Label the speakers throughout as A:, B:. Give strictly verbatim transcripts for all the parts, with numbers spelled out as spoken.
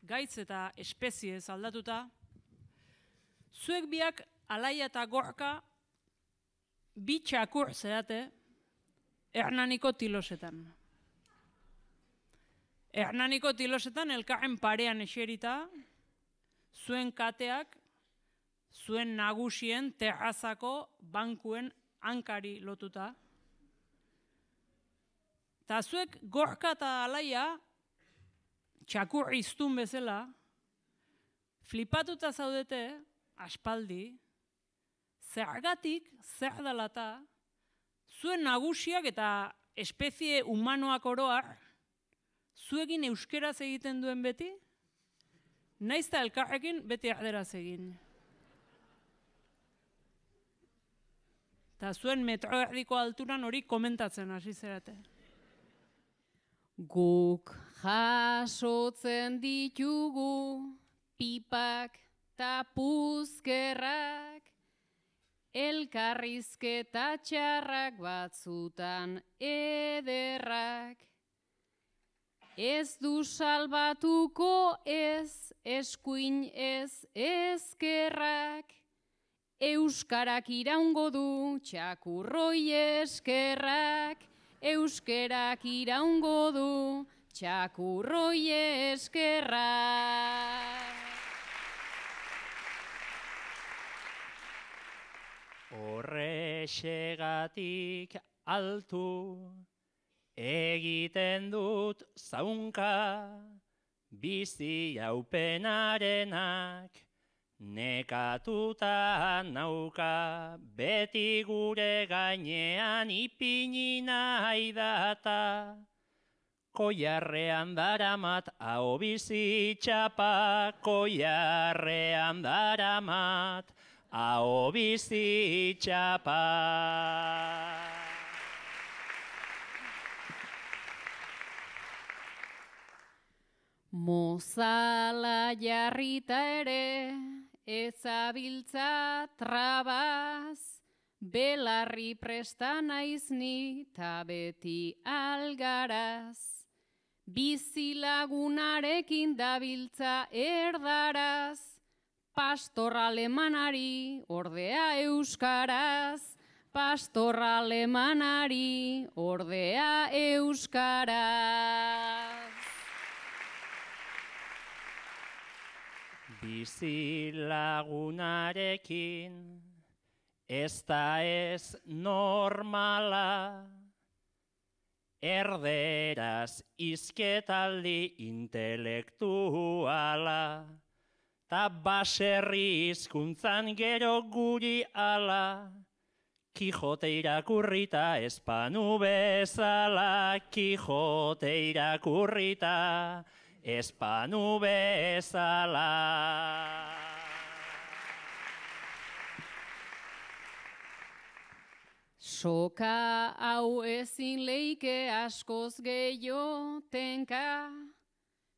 A: gaitz eta espeziez aldatuta, zuek biak Alaia eta Gorka bi txakur zerate Hernaniko tilosetan. Hernaniko tilosetan elkarren parean eserita, zuen kateak, zuen nagusien terrazako bankuen hankari lotuta. Ta zuek Gorka eta Alaia, txakur iztun bezala, flipatuta zaudete, aspaldi, zergatik, zer dalata, zuen nagusiak eta espezie humanoak oroar, zuekin euskeraz egiten duen beti, naiz eta elkarrekin beti erderaz egin. Eta zuen metro erdiko alturan hori komentatzen hasi zerate.
B: Guk jasotzen ditugu pipak ta puzkerrak, elkarrizketa txarrak batzutan ederrak. Ez du salbatuko ez eskuin ez ezkerrak, euskarak iraungo du txakurroi eskerrak, euskerak iraungo du txakurroi eskerrak.
C: Horrexegatik altu egiten dut zaunka, bizi haupenarenak nekatuta nauka, beti gure gainean ipini nahi data. Koiarrean daramat hau bizi txapa, koiarrean daramat hau bizi txapa.
B: Mozala jarrita ere, ezabiltza trabaz, belarri presta naiz ni ta beti algaraz. Bizilagunarekin dabiltza erdaraz, pastor alemanari ordea euskaraz, pastor alemanari ordea euskaraz.
C: Bizilagunarekin ez da ez normala, erderaz izketaldi intelektuala, ta baserri hizkuntzan gero guri ala, Kijote irakurrita espanu bezala, Kijote irakurrita espanu bezala.
B: Soka hau ezin leike askoz gehiago tenka,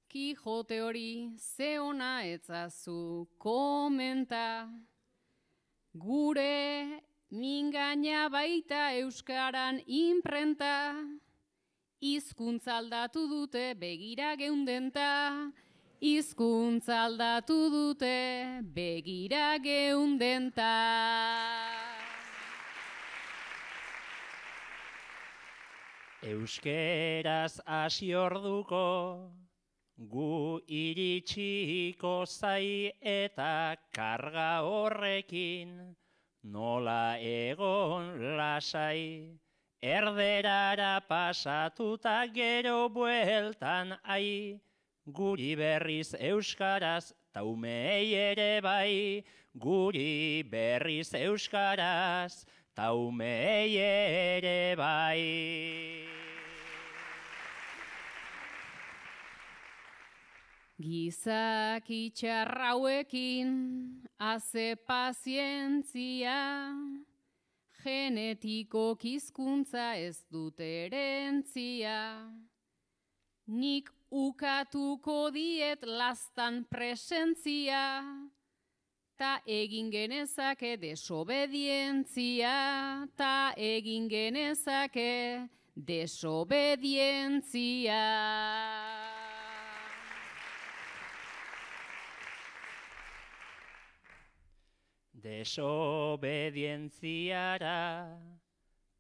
B: Kijote hori ze ona etzazu komenta. Gure mingaina baita euskaran inprenta, hizkuntza aldatu dute begira geundenta, hizkuntza aldatu dute begira geundenta.
C: Euskeraz hasi orduko, gu iritsiko zai eta karga horrekin, nola egon lasai, erderara pasatuta gero bueltan ai, guri berriz euskaraz taumei ere bai, guri berriz euskaraz taumei ere bai.
B: Gizak itxarrauekin haze pazientzia, genetiko hizkuntza ez dut erentzia. Nik ukatuko diet lastan presentzia, ta egin genezake desobedientzia, ta egin genezake desobedientzia.
C: desobedientziara,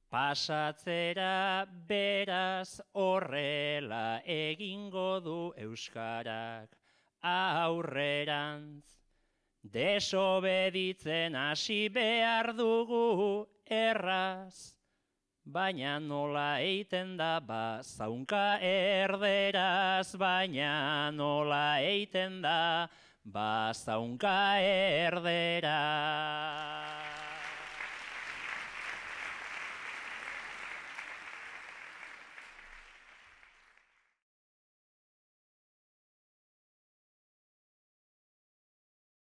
C: pasatzera beraz horrela egingo du euskarak aurrerantz. Desobeditzen hasi behar dugu erraz, baina nola eiten da ba zaunka erderaz, baina nola eiten da ba zaunka erderaz.